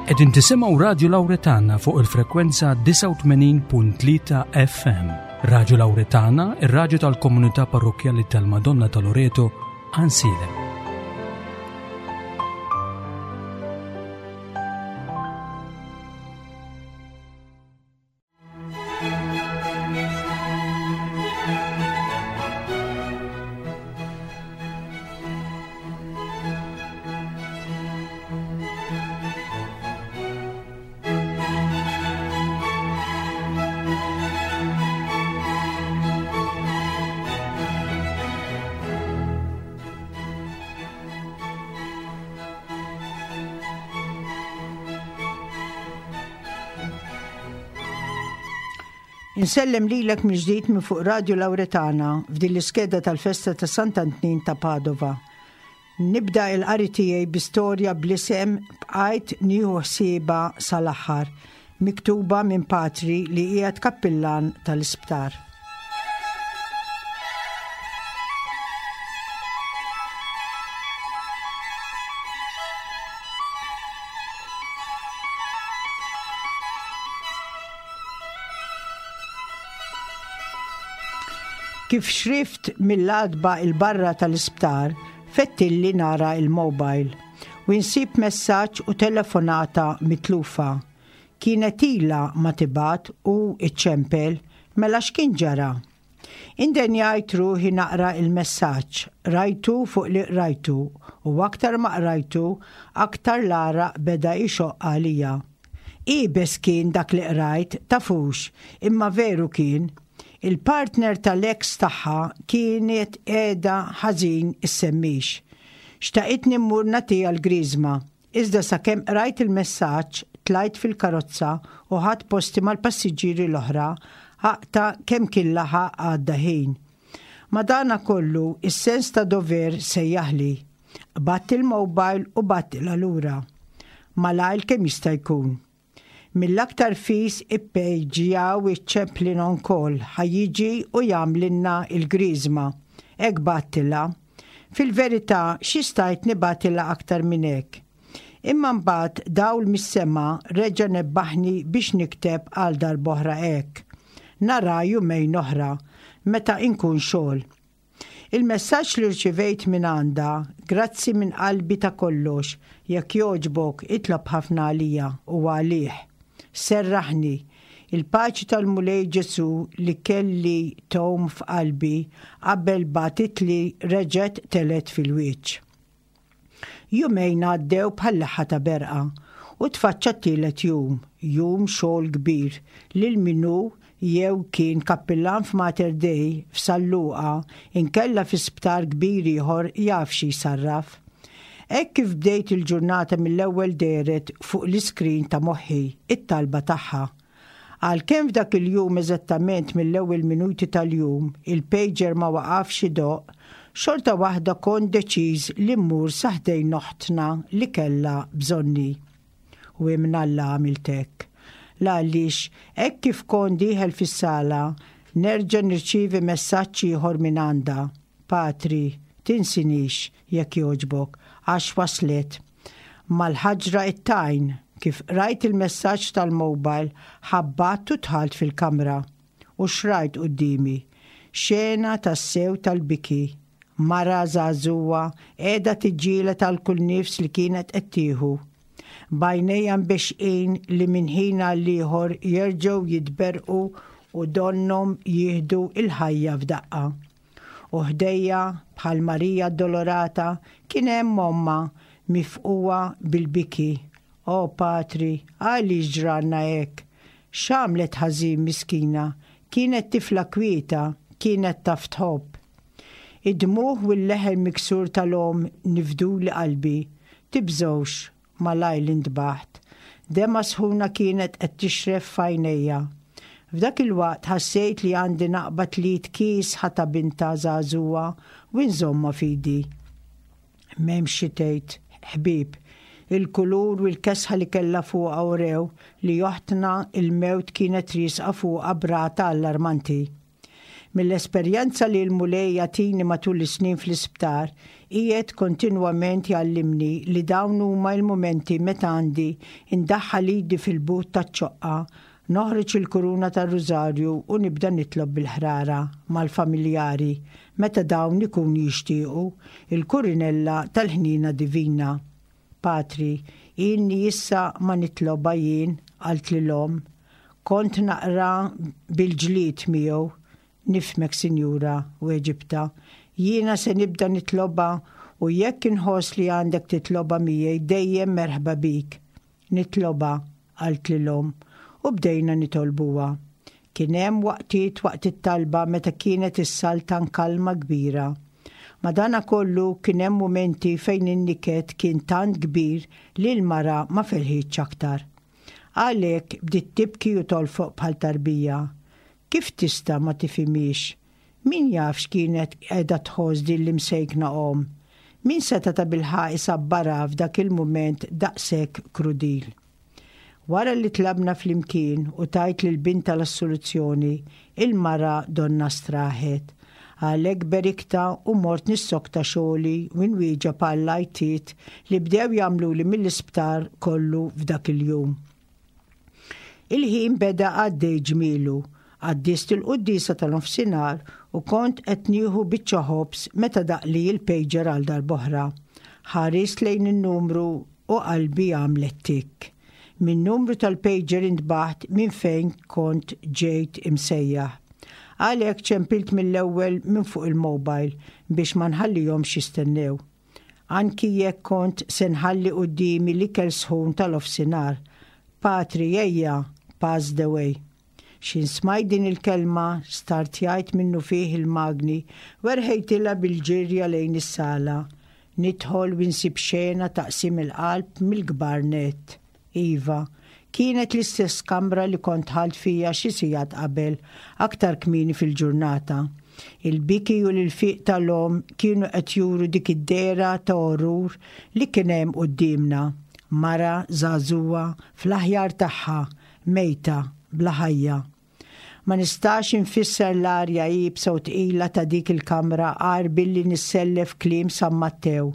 Qegħdin tisimgħu Radju Lawretana fuq il-frekwenza 89.3 FM. Radju Lawretana, ir-radju tal-komunità parrokkjali tal-Madonna ta' Loreto, Ansilem. Insellem lilek mill-ġdid minn fuq Radio Lauretana f'din l-iskeda tal-festa ta' Sant'Antnin ta' Padova. Nibda il-qari tiegħi bi storja bl-isem Bqajt nieħu ħsiebha sal-aħħar, miktuba minn patri li qiegħed kappillan tal-isptar. Kif xrift mill-għatba 'il barra tal-isptar, fettilli nara il-mobile u insib messaġġ u telefonata mitlufa. Kienet ilha ma tibgħat u iċċempel, mela x'kien ġara? Indenjajt ruħi naqra il-messaġġ, qrajtu fuq li qrajtu u aktar ma qrajtu, aktar l-għaraq beda jxoqq għalija. Iebes kien dak li qrajt, tafux, imma veru kien. Il-partner tal-ex tagħha kienet qiegħda ħażin issemmix. Xtaqitni mmur nagħtiha l-griżma, iżda sakemm qrajt il-messaġġ, tlajt fil-karozza u ħadt posti mal-passiġġieri l-oħra, aqta' kemm kien laħaq għadda ħin. Madanakollu, is-sens ta' dover sejjaħli. Qbadt il-mobile u bgħattilha lura. Malajr kemm jista' jkun. Mill-aktar fis ippejġjaw iċ-chaplain on call ħa jiġi u jagħmlilna l-griżma. Hekk bgħattilha. Fil-verità xi stajt nibgħatilha aktar minn hekk? Imma mbagħad dawl mis-sema reġa' nebbaħni biex nikteb għal darb'oħra hekk. Nara jumejn oħra, meta inkun xogħol. Il-messaġġ li rċivejt mingħandha, Grazzi minn qalbi ta' kollox, jekk jogħġbok itlob ħafna għalija u għalih. Serraħni. Il-paċi tal-Mulej Ġesù li kelli tgħum f'qalbi qabel bagħtitli reġgħet telgħet fil-wiċċ. Jumejn għaddew bħal leħħa ta' berqa u tfaċċa t-tielet jum, jum xogħol kbir lil min hu jew kien kappillan f'Mater Dei, f'San Luqa, inkella fi sptar kbir ieħor jaf xi jsarraf. Hekk kif bdejt il-ġurnata mill-ewwel dehret fuq l-iskrin ta' moħħi t-talba tagħha. Għalkemm f'dak il-jum eżattament mill-ewwel minuti tal-jum il-pager ma waqafx idoqq, xorta waħda kont deċiż li mmur sa ħdejn oħtna li kellha bżonni. U imnalla għamilt hekk. L-għaliex hekk kif kont dieħel fis-sala nerġa' nirċievi messaġġ ieħor mingħandha, Patri, tinsinix, jekk jogħġbok, għax waslet. Mal-ħaġra it-tajn, kif qrajt il-messaġġ tal-mobile, ħabbatt u dħalt fil-kamra. U x'rajt quddiemi? Xena tassew tal-biki. Mara żagħżugħa qiegħda tiġġieled għal kull nifs li kienet qed tieħu. B'għajnejha mbexxqin li minn ħin għall-ieħor jerġgħu jitberrqu u donnhom jieħdu l-ħajja f'daqqa. U ħdejja, bħal Marija Addolorata, kien hemm ommha, mifqugħa bil-biki. O Patri, għaliex ġralna hekk? X'għamlet ħażin miskina? Kienet tifla kwieta, kienet taf tħobb. Id-dmugħ u l-leħen miksur tal-omm nifduli qalbi. Tibżgħux, Malajr li ntbaħt. Demgħa sħuna kienet qed tixref f'għajnejja. F'dak il-waqt ħassejt li għandi naqbad l-id kiesħa ta' bintha żagħżugħa u nżommha f'idi. M'hemmx xi tgħid, ħbieb. Il-kulur u l-kesħa li kellha fuqha urew li oħtna l-mewt kienet riesqa fuqha b'rata allarmanti. Mill-esperjenza li l-Mulej jagħtini matul is-snin fl-isptar, Qiegħed kontinwament jgħallimni li dawn huma l-mumenti meta għandi ndaħħal idi fil-but taċ-ċoqqa, noħroġ il-kuruna tar-rużarju u nibda nitlob bil-ħrara mal-familjari meta dawn ikunu jixtiequ il-kurinella tal-ħniena divina. Patri, ilni issa ma nitlobha jien, qaltli l-omm. Kont naqra bil-ġlied miegħu. Nifhmek, sinjura, weġibtha. Jiena se nibda nitlobha u jekk inħoss li għandek titlobha miegħi dejjem merħba bik. Nitlobha, qaltli l-omm, u bdejna nitolbuha. Kien hemm waqtiet waqt it-talba meta kienet issaltan kalma kbira. Madanakollu kien hemm mumenti fejn in-niket kien tant kbir li l-mara ma felħitx aktar. Għalhekk bdiet tibki u tolfoq bħal tarbija. Kif tista' ma tifhimhiex? Min jaf x'kienet qiegħda tħoss din l-imsejkna omm? Min seta' tabilħaqq isabbarha f'dak il-mument daqshekk krudil? Wara li tlabna flimkien u tajt lil bintha l-assoluzzjoni, il-mara donnha straħet. Għalhekk beriktha u mort nissokta xogħli u nwieġeb għall-għajtiet li bdew jagħmluli mill-isptar kollu f'dak il-jum. Il-ħin beda għaddej ġmielu. Qaddist il-quddiesa ta' nofsinhar u kont qed nieħu biċċa ħobż meta daqqli l-pager għal darb'oħra. Ħarist lejn in-numru u qalbi għamlet tikk. Min-numru tal-pager intbaħt minn fejn kont ġejt imsejjaħ. Għalhekk ċempilt mill-ewwel minn fuq il-mobile biex ma nħallihomx jistennew. Anki jekk kont se nħalli quddiemi l-ikel sħun tal-ofsinhar. Patri, ejja, pass the way. X'ħin smajt din il-kelma, startjajt minnufih il-magni u erħejtilha bil-ġirja lejn is-sala. Nidħol u nsib xena ta' qsim il-qalb mill-kbar nett. Iva, kienet l-istess kamra li kont dħalt fiha xi sigħat qabel, aktar kmieni fil-ġurnata. Il-biki u l-ilfiq tal-omm kienu qed juru dik id-dehra ta' orrur li kien hemm quddiemna. Mara żagħżugħa fl-aħjar tagħha, mejta, bla ħajja. Ma nistax infisser l-arja iebsa u tqila ta' dik il-kamra għajr billi nissellef kliem San Mattew.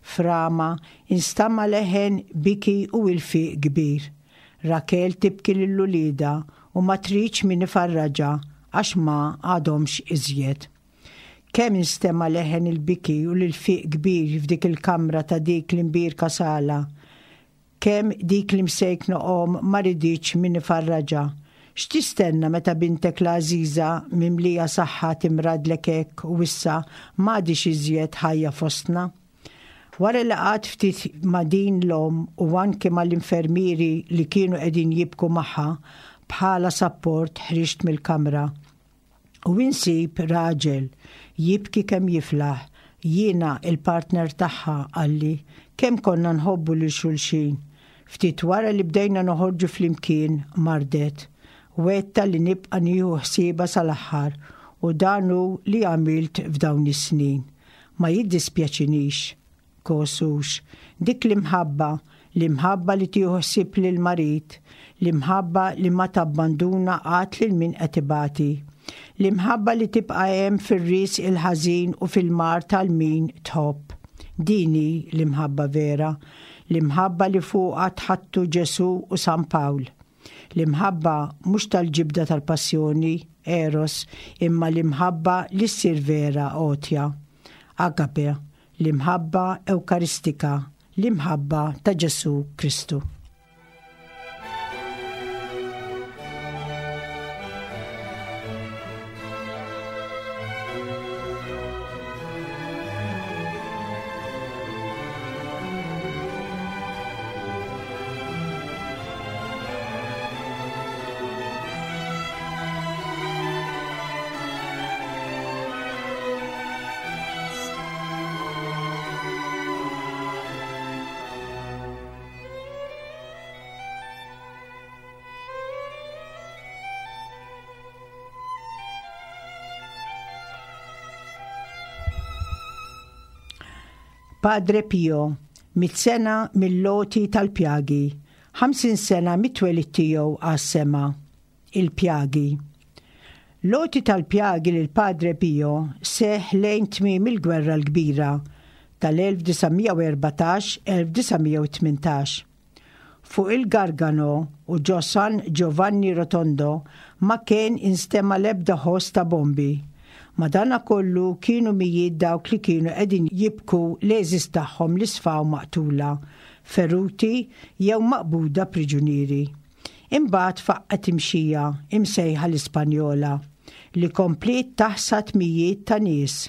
F'Rama instama' leħen biki u ilfiq kbir. Rakel tibki lil uliedha u ma tridx min ifarraġha għax ma għadhomx iżjed. Kemm instema' leħen il-biki u l-ilfiq kbir f'dik il-kamra ta' dik l-imbierka sala. Kemm dik l-imsejkna omm ma riditx min ifarraġha. X'tistenna meta bintek l-għażiża mimlija saħħa timradlek hekk u issa m'għadhiex iżjed ħajja fostna? Wara li qgħadt ftit ma' din l-omm u anki mal-infermieri li kienu qegħdin jibku magħha bħala sapport ħriġt mill-kamra. U insib raġel jibki kemm jiflaħ, jiena il-partner tagħha, qalli, kemm konna nħobbu lil xulxin. Ftit wara li bdejna noħorġu flimkien, mardet. Wegħdtha li nibqa' nieħu ħsiebha sal-aħħar u dan hu li għamilt f'dawn is-snin. Ma jiddispjaċinix. Kosux. Dik l-imħabba, l-imħabba li tieħu ħsieb lill-marid, l-imħabba li ma tabbanduna qatt lil min qed ibati. L-imħabba li tibqa' hemm fir-riżq il-ħażin u fil-mard għal min tħobb. Din hi l-imħabba vera, l-imħabba li fuqha tħaddtu Ġesù u San Pawl. L-imħabba mhux tal-ġibda tal-passjoni, eros, imma l-imħabba li ssir vera għotja, agape, L-imħabba Ewkaristika, l-imħabba ta' Ġesù Kristu. Padre Pio, mit-sena mill-loti tal-pjagi, 50 sena mit-twelid tiegħu għas-sema. Il-pjagi. L-għoti tal-pjagi lil Padre Pio seħħ lejn tmiem il-Gwerra l-Kbira. tal-1914-1918. Fuq il-Gargano u ġo San Giovanni Rotondo ma kien instema' l-ebda ħoss ta' bombi. Madanakollu kienu mijiet dawk li kienu qegħdin jibku l-għeżież tagħhom li sfaw maqtula, feruti jew maqbuda priġunieri. Imbagħad faqqgħet imxija, imsejħa l-Ispanjola, li kompliet taħsad mijiet ta' nies.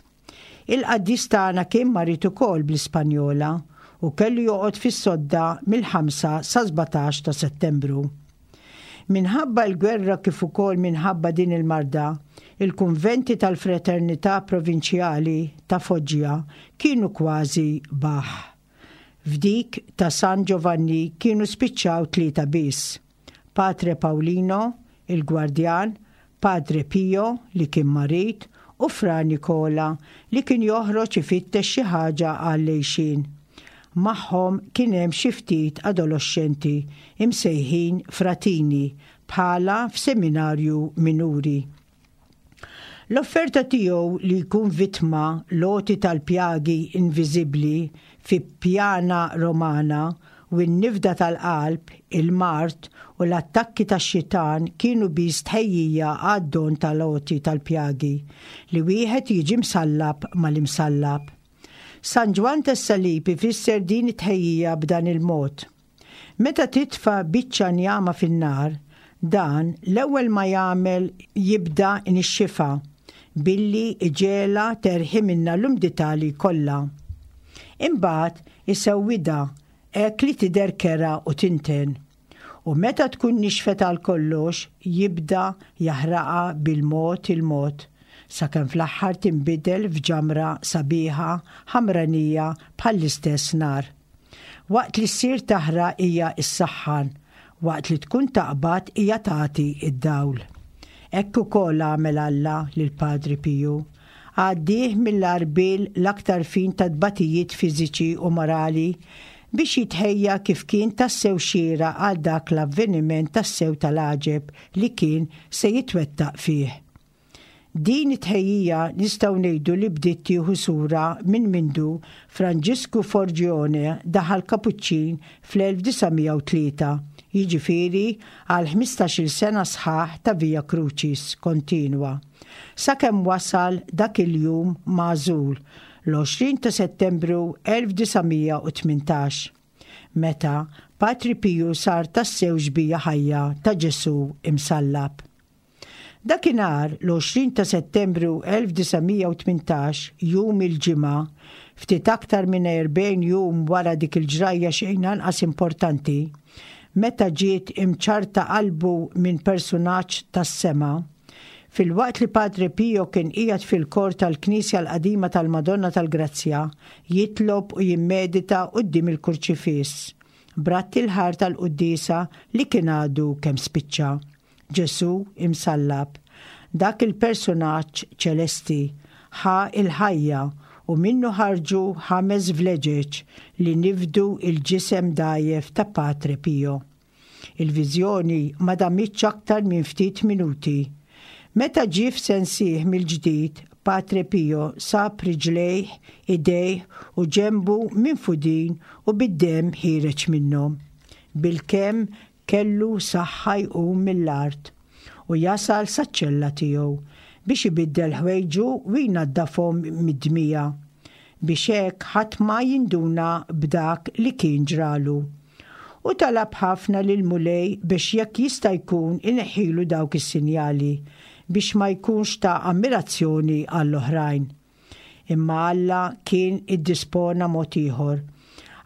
Il-qaddis tagħna kien marid ukoll bl-Ispanjola u kellu joqgħod fis-sodda mill-5 sa 17 ta' Settembru. Minħabba l-gwerra kif ukoll minħabba din il-marda, il-kunventi tal-Fraternità Provinċjali ta' Foggia kienu kważi baħħ. F'dik ta' San Giovanni kienu spiċċaw tlieta biss, Patre Paolino, il-gwardjan, Padre Pio, li kien marid, u Fra Nicola, li kien joħroġ ifittex xi ħaġa għall-għixien. Magħhom kien hemm xi ftit adoloxxenti, imsejħin fratini, bħala f'seminarju minuri. L-offerta tiegħu li jkun vittma l-għoti tal-pjagi inviżibbli fi Piana Romana u n-nifda tal-qalb, il-mard u l-attakki tax-xitan kienu biss tħejjija għad-don tal-għoti tal-pjagi, li wieħed jiġi msallab mal-imsallab. San Ġwann tas-Salib ifisser din it-tħejjija b'dan il-mod, Meta titfa' biċċa njama fin-nar, dan l-ewwel ma jagħmel jibda jnixxifha billi jġegħelha terħi minnha l-umdità li jkollha. Imbagħad isewwidha hekk li tidher kerha u tinten. U meta tkun nixfet għal kollox jibda jaħraqha bil-mod il-mod sakemm fl-aħħar tinbidel f'ġamra sabiħa ħamranija bħall-istess nar. Waqt li ssir taħraq hija ssaħħan, waqt li tkun taqbad hija tagħti d-dawl. Hekk ukoll għamel Alla lil Padri Piju. Għaddieh mill-għarbiel l-aktar fin ta' tbatijiet fiżiċi u morali biex jitħejja kif kien tassew xieraq għal dak l-avveniment tassew tal-għaġeb li kien se jitwettaq fih. Din it-tħejjija nistgħu ngħidu li bdiet tieħu sura minn mindu Franġisku Forgione daħal Kapuċċin fl-1903, jiġifieri għal ħmistax-il sena sħaħ ta' Via Crucis kontinwa, sakemm wasal dak il-jum magħżul, l-20 ta' Settembru 1918, meta Patri Piju sar tassew xbieha ħajja ta' Ġesù imsallab. Dakinhar, l-20 ta' Settembru 1918, jum il-Ġimgħa, ftit aktar minn 40 jum wara dik il-ġrajja xejn anqas importanti, meta ġiet imċarrta qalbu minn persunaġġ tas-sema, filwaqt li Padre Pio kien qiegħed fil-kor tal-Knisja l-Qadima tal-Madonna tal-Grazzja jitlob u jimmedita quddiem il-Kurċifiss, b'ratt il-ħar tal-quddiesa li kien għadu kemm spiċċa. Ġesù imsallab, dak il-persunaġġ ċelesti, ħa l-ħajja u minnu ħarġu ħames vleġeġ li nifdu l-ġisem dgħajjef ta' Patre Pio. Il-viżjoni ma damitx aktar minn ftit minuti. Meta ġie f'sensih mill-ġdid, Patre Pio sab riġlejh, idejh u ġenbu minfudin u bid-demm ħiereġ minnhom. Bilkemm Kellu saħħa jqum mill-art u jasal saċ-ċella tiegħu biex ibiddel ħwejġu u jnaddafhom mid-dmija, biex hekk ħadd ma jinduna b'dak li kien ġralu. U talab ħafna lill-Mulej biex jekk jista' jkun ineħħilu dawk is-sinjali, biex ma jkunx ta' ammirazzjoni għall-oħrajn. Imma Alla kien iddispona mod ieħor.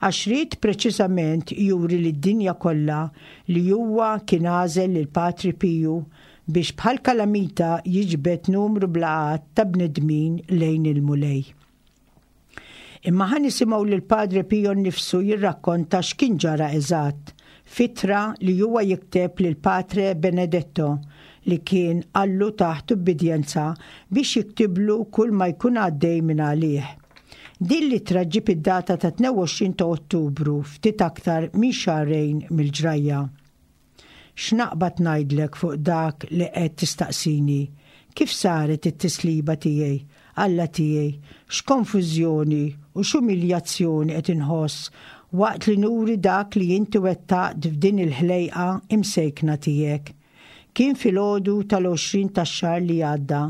Għax ried preċiżament juri lid-dinja kollha li huwa kien għażel lil Patri Piju biex bħal kalamita jiġbed numru bla għadd ta' bnedmin lejn il-Mulej. Imma ħa nisimgħu lil Padre Pio nnifsu jirrakkonta x'kien ġara eżatt, f'ittra li huwa jikteb lil Patre Benedetto li kien qallu taħt ubbidjenza biex jiktiblu kull ma jkun għaddej minn għalih. Din l-ittra ġġib id-data ta' 22 ta' Ottubru, ftit aktar minn xahrejn mill-ġrajja. X'naqbad ngħidlek fuq dak li qed tistaqsini? Kif saret it-tisliba tiegħi? Alla tiegħi, x'konfużjoni u x'umiljazzjoni qed inħoss waqt li nuri dak li inti wettaqt f'din il-ħlejqa imsejkna tiegħek. Kien filgħodu tal-20 tax-xahar li għadda.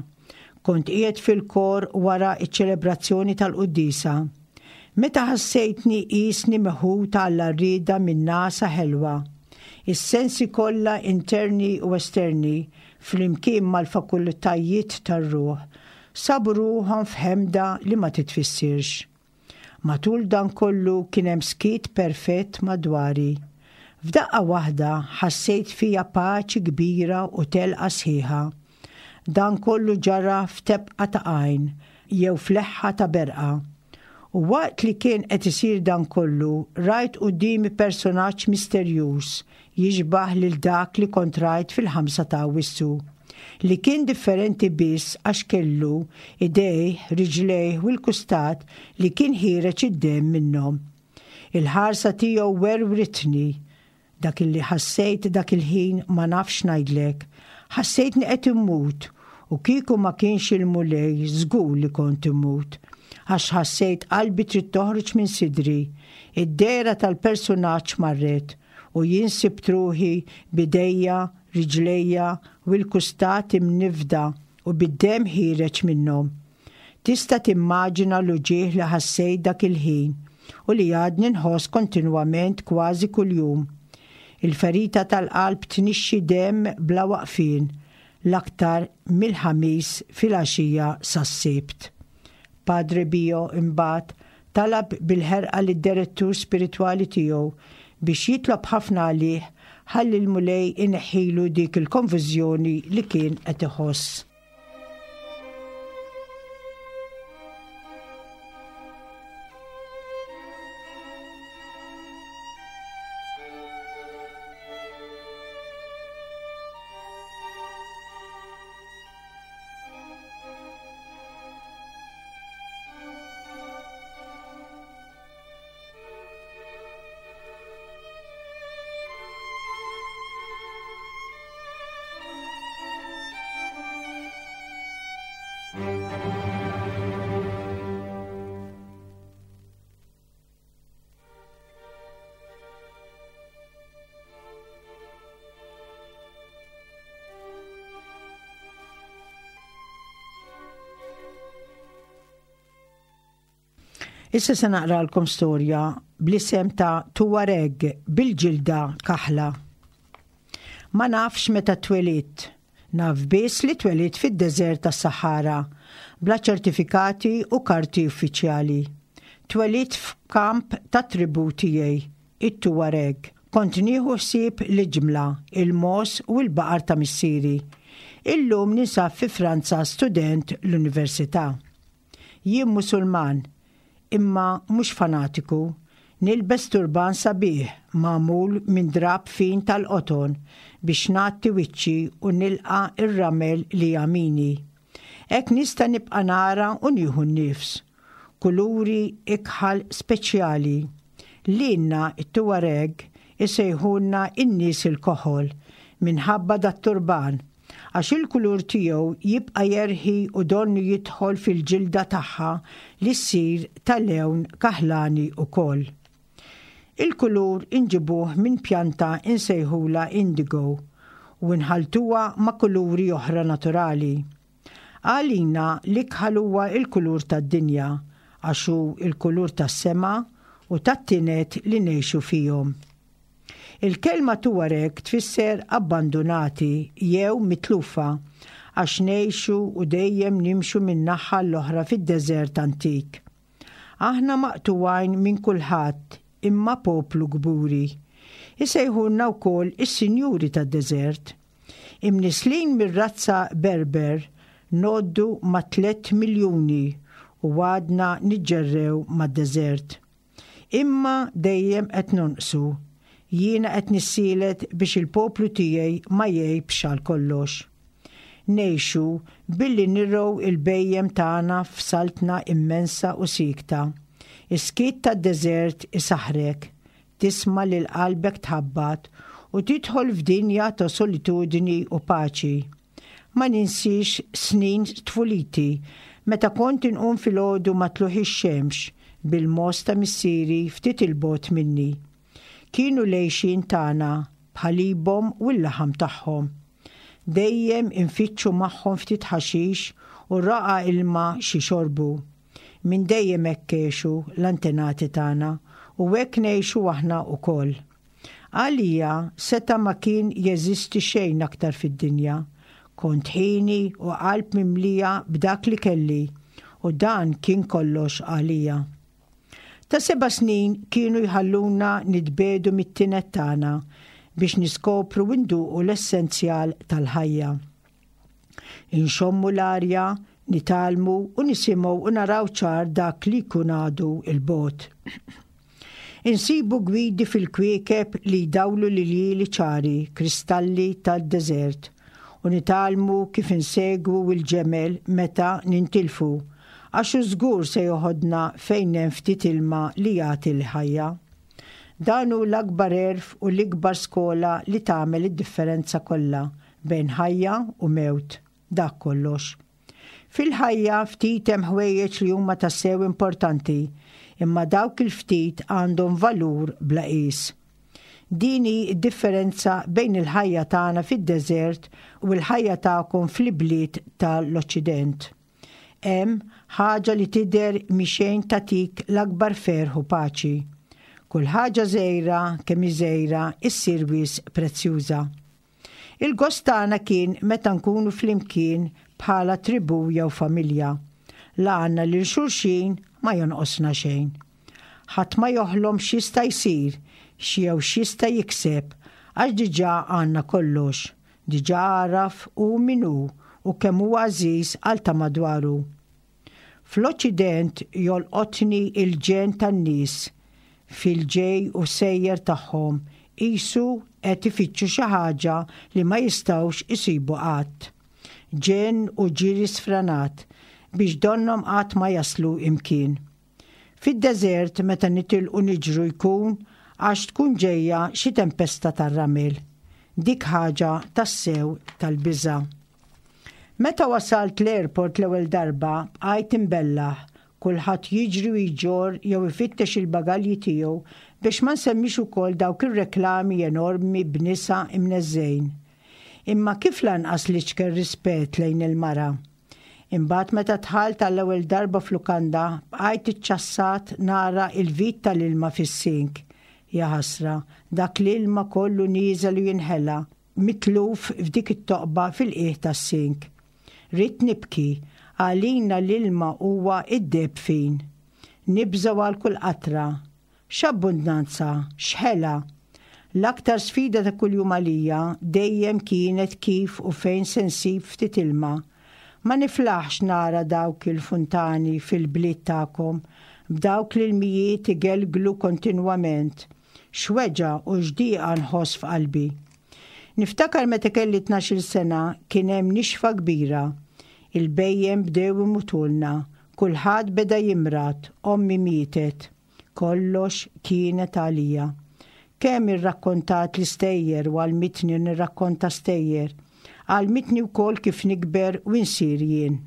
Kont qiegħed fil-kor wara ċ-ċelebrazzjoni tal-quddiesa. Meta ħassejtni qisni meħud għall-għarrieda minn nagħsa ħelwa. Is-sensi kollha interni u esterni, flimkien mal-fakultajiet tar-ruħ, sabu ruħhom f'ħemda li ma titfissirx. Matul dan kollu kien hemm skiet perfett madwari. F'daqqa waħda ħassejt fija paċi kbira u telqa sħiħa. Dan kollu ġara f'tebqa ta' għajn jew f'leħħa ta' berqa. U waqt li kien qed isir dan kollu, rajt quddiemi personaġġ misterjuż jixbah lil dak li kont rajt fil-ħamsa ta' Awwissu, li kien differenti biss għax kellu idejh, riġlejh u l-kustat li kien ħiereġ id-demm minnhom. Il-ħarsa tiegħu werwritni. Dak illi ħassejt dak il-ħin ma nafx ngħidlek. Ħassejtni qed immut u kieku ma kienx il-Mulej żgur li kont immut. Għax ħassejt qalbi trid toħroġ minn sidri. Id-dehra tal-persunaġġ marret u jien sibt ruħi b'idejja, riġlejja u l-kustat imniffda u bid-demm ħiereġ minnhom. Tista' timmaġina l-uġigħ li ħassejt dak il-ħin u li għadni nħoss kontinwament kważi kuljum. Il-ferita tal-qalb tnixxi demm bla waqfien, l-aktar mill-Ħamis filgħaxija sas-Sibt. Padre Pio imbagħad talab bil-ħerqa lid-direttur spiritwali tiegħu biex jitlob ħafna għalih ħalli l-Mulej ineħħilu dik il-konfużjoni li kien qed iħoss. Issa se naqralkom storja bl-isem ta' Tuareg bil-ġilda kaħla. Ma nafx meta twelidt. Naf biss li twelidt fid-deżert tas-Sahara, bla ċertifikati u karti uffiċjali. Twelidt f'kamp tat-tribù tiegħi, it-Tuareg. Kont nieħu ħsieb l-iġmla, il-mogħoż u l-baqar ta' missieri. Illum ninsab fi Franza student l-università. Jien Musulman, imma mhux fanatiku. Nilbes turban sabiħ magħmul minn drapp fin tal-qoton biex ngħatti wiċċi u nilqa' r-ramel li jagħmini. Hekk nista' nibqa' nara u nieħu n-nifs. Kuluri ikħal speċjali. Lilna t-Tuareg isejħulna n-nies il-koħol minħabba dat-turban. Għax il-kulur tiegħu jibqa' jerħi u donnu jidħol fil-ġilda tagħha li ssir ta' lewn kaħlani wkoll. Il-kulur inġibuh minn pjanta insejħulha indigo u nħalltuha ma' kuluri oħra naturali. Għalina l-ikħal huwa l-kulur tad-dinja għax hu l-kulur tas-sema u tat-tined li ngħixu fihom. Il-kelma Tuareg tfisser abbandunati jew mitlufa għax ngħixu u dejjem nimxu minn naħa għall-oħra fid-deżert antik. Aħna maqtugħin minn kulħadd imma poplu kburi. Isejħulna wkoll is-sinjuri tad-deżert. Imnisslin mir-razza Berber ngħoddu mat-tlett miljuni u għadna niġġerrew mad-deżert. Imma dejjem qed nonqsu. Jiena qed nissielet biex il-poplu tiegħi ma jgħibx għal kollox. Ngħixu billi nirgħu il-bhejjem tagħna f'saltna immensa u siekta. Is-skiet tad-deżert isaħħrek, tisma' lil qalbek tħabbat u tidħol f'dinja ta' solitudni u paċi. Ma ninsiex snin tfuliti, meta kont inqum filgħodu ma' tlugħ ix-xemx. bil-mogħoż ta' missieri ftit 'il bogħod minni. Kienu l-għixien tagħna b'ħalibhom u l-laħam tagħhom. Dejjem infittxu magħhom ftit ħaxix u ragħa ilma x'jixorbu. Minn dejjem hekk għexu l-antenati tagħna u hekk ngħixu aħna wkoll. Għalija seta' ma kien jeżisti xejn aktar fid-dinja. Kont ħieni u qalb mimlija b'dak li kelli u dan kien kollox għalija. Ta' seba' snin kienu jħalluna nitbiegħdu mit-tined tagħna biex niskopru u nduqu l-essenzjal tal-ħajja. Inxommu l-arja, nitgħallmu u nisimgħu u naraw ċar dak li jkun għadu 'l bogħod. Insibu gwidi fil-kwiekeb li jdawlu l-iljieli ċari, kristalli tad-deżert, u nitgħallmu kif insegwu l-ġemel meta nintilfu, għax hu żgur se joħodna fejn hemm ftit ilma li jagħti l-ħajja. Dan hu l-akbar għerf u l-ikbar skola li tagħmel id-differenza kollha bejn ħajja u mewt. Dak kollox. Fil-ħajja ftit hemm ħwejjeġ li huma tassew importanti, imma dawk il-ftit għandhom valur bla qies. Din hi d-differenza bejn il-ħajja tagħna fid-deżert u l-ħajja tagħkom fl-ibliet ta' l-Oċċident. Hemm ħaġa li tidher mhi xejn tagħtik l-akbar ferħ u paċi. Kull ħaġa żgħira, kemm hi żgħira, issir wisq prezzjuża. Il-gost tagħna kien meta nkunu flimkien bħala tribù jew familja. La għandna lil xulxin ma jonqosna xejn. Ħadd ma joħlom x'jista' jsir x'jew x'jista' jikseb għax diġà għandna kollox, diġà għaraf hu min hu u kemm hu għażiż għal ta' madwaru. Fl-Oċċident jolqotni l-ġenn tan-nies fil-ġej u sejjer tagħhom qisu qed ifittxu xi ħaġa li ma jistgħux isibu qatt. Ġenn u ġiri sfranat biex donnhom qatt ma jaslu imkien. Fid-deżert meta nitilqu niġru jkun għax tkun ġejja xi tempesta tar-ramel. Dik ħaġa tassew tal-biża'. Meta wasalt l-airport l-ewwel darba bqajt imbellah, kulħadd jiġri u jġorr jew ifittex il-bagalji tiegħu biex ma nsemmix ukoll dawk ir-reklami enormi b'nisa imneżżgħin. Imma kif lanqas l-iċken rispett lejn il-mara? Imbagħad meta dħalt għall-ewwel darba f'lukanda bqajt iċċassat nara il-vit tal-ilma fis-sink. Jaħasra, dak l-ilma kollu nieżel u jinħela. Mitluf f'dik it-toqba fil-qiegħ tas-sink. Ridt nibki, għalina l-ilma huwa d-deheb fin. Nibżgħu għal kull qatra. X'abbundnanza, x'ħela! L-aktar sfida ta' kuljum għalija dejjem kienet kif u fejn se nsib ftit ilma. Ma niflaħx nara dawk il-funtani fil-bliet tagħkom, b'dawk l-ilmijiet igelglu kontinwament. X'weġgħa u x'dieqa nħoss f'qalbi. Niftakar meta kelli tnax-il sena kien hemm nixfa kbira. Il-bhejjem bdew imutulna, kulħadd beda jimrad, ommi mietet. Kollox kienet għalija. Kemm irrakkontat l-istejjer u għallmitni nirrakkonta stejjer. Għallmitni wkoll kif nikber u nsir jien.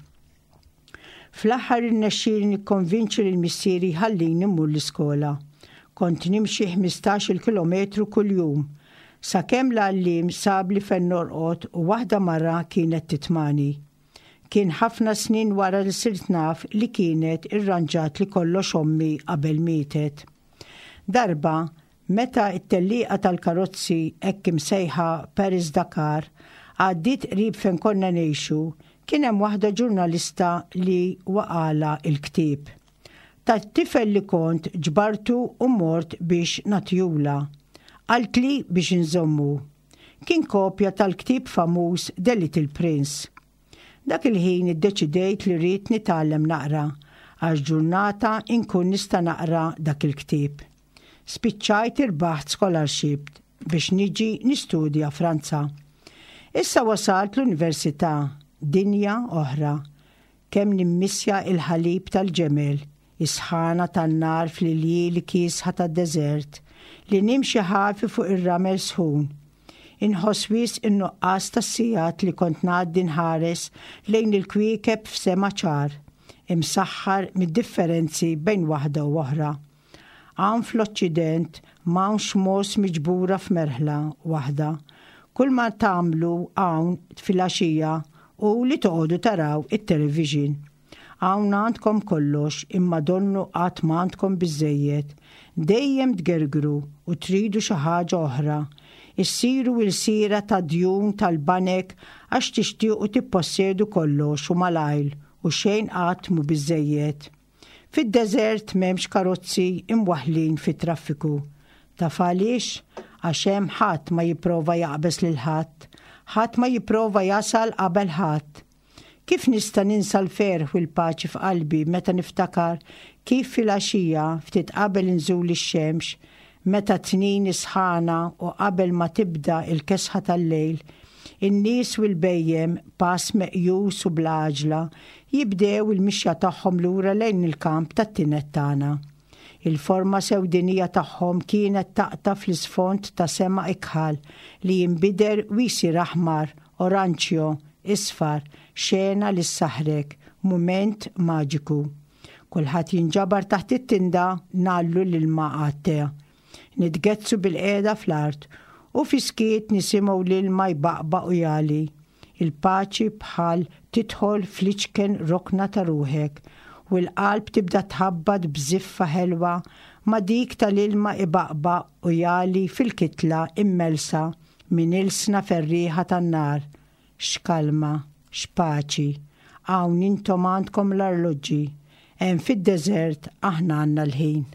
Fl-aħħar irnexxieli nikkonvinċi lil missieri jħallini mmur l-iskola. Kont nimxi ħmistax-il kilometru kuljum. Sakemm l-għalliem sabli fejn norqod u waħda mara kienet titmagħni. Kien ħafna snin wara li sirt naf li kienet irranġatli kollox ommi qabel mietet. Darba, Meta t-tellieqa tal-karozzi hekk imsejħa Paris-Dakar għaddiet qrib fejn konna ngħixu, kien hemm waħda ġurnalista li waqgħalha l-ktieb. Ta' tifel li kont ġbartu u mort biex nagħtihulha. Qaltli biex inżommu. Kien kopja tal-ktieb famuż The Little Prince. Dak il-ħin iddeċidejt li rrid nitgħallem naqra għax ġurnata inkun nista' naqra dak il-ktieb. Spiċċajt irbaħt scholarship biex niġi nistudja Franza. Issa wasalt l-università, dinja oħra. Kemm nimmissja il-ħalib tal-ġemel, is-sħana tan-nar fl-iljieli kiesħa tad-deżert, li nimxi ħafi fuq ir-ramel sħun. Inħoss wisq in-nuqqas tas-sigħat li kont ngħaddi nħares lejn il-kwiekeb f'sema ċar. imsaħħar mid-differenzi bejn waħda u oħra. Hawn fl-Oċċident m'hawnx mogħoż miġbura f'merħla waħda. Kull ma tagħmlu hawn filgħaxija hu li toqogħdu taraw it-television. Hawn għandkom kollox imma donnu qatt m'għandkom biżżejjed. Dejjem tgergru u tridu xi ħaġa oħra. Issiru ilsiera ta' djun tal-banek għax tixtiequ tippossedu kollox u malajr u xejn qatt mhu biżżejjed. Fid-deżert m'hemmx karozzi imwaħħlin fit-traffiku. Taf għaliex? Għax hemm ħadd ma jipprova jaqbeż lil ħadd. Ħadd ma jipprova jasal qabel ħadd. Kif nista' ninsa l-ferħ u l-paċi f'qalbi meta niftakar kif filgħaxija, ftit qabel inżul ix-xemx, meta tnin is-sħana u qabel ma tibda l-kesħa tal-lejl, in-nies u l-bhejjem, pass meqjus u bla għaġla, jibdew il-mixja tagħhom lura lejn il-kamp tat-tined tagħna. Il-forma sewdinija tagħhom kienet taqta' fl-isfond ta' sema ikħal li jinbidel u jsir aħmar, oranġjo, isfar, xena li ssaħħrek, mument maġiku. Kulħadd jinġabar taħt it-tinda ngħallu l-ilma għat-te. Nitgezzu bilqiegħda fl-art u fis-skiet nisimgħu l-ilma jbaqbaq u jagħli. Il-paċi bħal tidħol fl-iċken rokna ta' ruħek u l-qalb tibda tħabbat b'żiffa ħelwa ma' dik tal-ilma ibaqbaq u jagħli fil-kitla immellsa minn ilsna ferrieħa tan-nar. X'kalma, x'paċi! Hawn intom għandkom l-arloġġi, hemm fid-deżert aħna għandna l-ħin.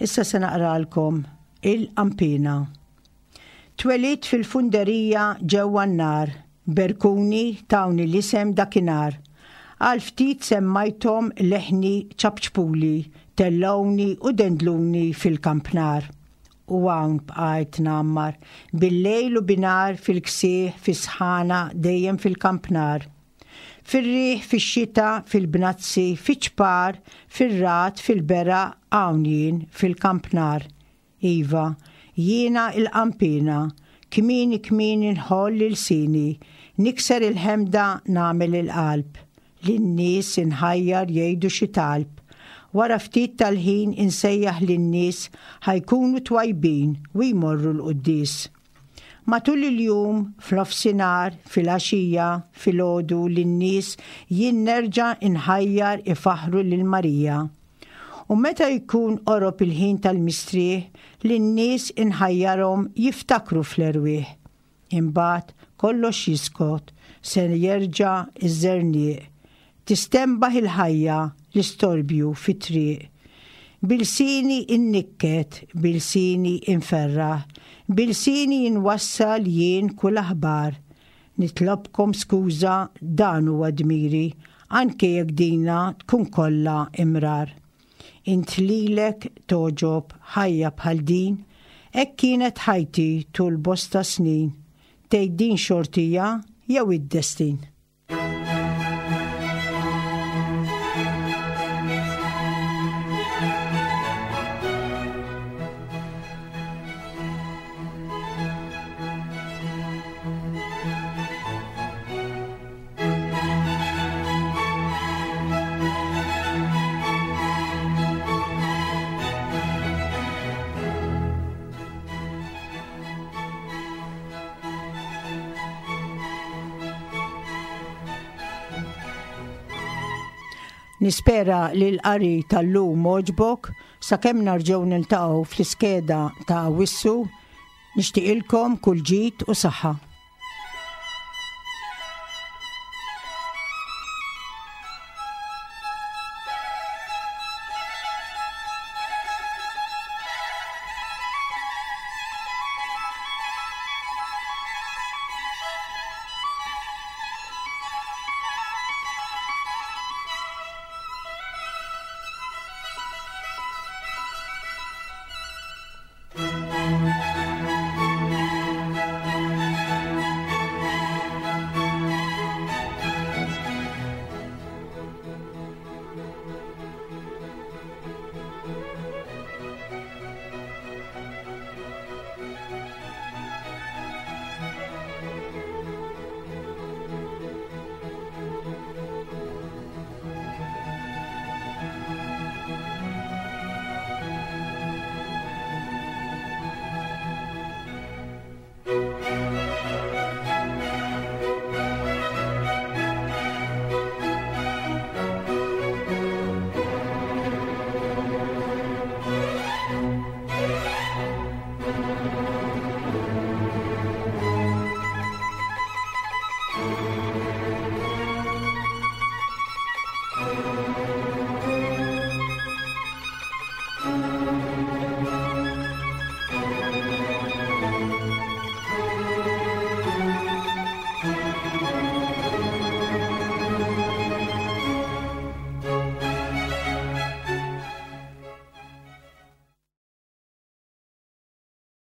Issa se naqralkom il-qampina. Twelidt fil-funderija ġewwa n-nar, berkuni tawni l-isem dakinhar. Għal ftit semmajthom leħni ċapċpuli, tellgħuni u dendluni fil-kampnar. U hawn bqajt ngħammar, bil-lejl u binhar fil-ksieħ, fis-sħana, dejjem fil-kampnar. Fir-riħ, fix-xita, fil-bnazzi, fiċ-ċpar, fir-ragħad, fil-beraq, hawn jien, fil-kampnar. Iva, jiena l-qanpiena, kmieni kmieni nħoll ilsieni, nikser il-ħemda nagħmel il-qalb, lin-nies inħajjar jgħidu xi talb. Wara ftit tal-ħin insejjaħ lin-nies ħa jkunu twajbin u jmorru l-quddies. Matul il-jum, f'nofsinhar, filgħaxija, filgħodu lin-nies jien nerġa' nħajjar ifaħħru lil Marija. U meta jkun qorob il-ħin tal-mistrieħ, lin-nies inħajjarhom jiftakru fl-erwieħ. Imbagħad kollox jiskot, se jerġa' ż-żerniq. Tistenbaħ il-ħajja, l-istorbju fit-triq. B'ilsieni nnikket, b'ilsieni nferraħ, b'ilsieni nwassal jien kull aħbar. Nitlobkom skuża dan huwa dmiri anke jekk dina tkun kollha imrar. Int lilek togħġob ħajja bħal din? Hekk kienet ħajti tul bosta snin. Tgħid din xortija jew id-destin? Nispera li l-qari tal-lum għoġbok sakemm narġgħu niltaqgħu fl-iskeda ta' Awwissu Nixtieqilkom kull ġid u saħħa.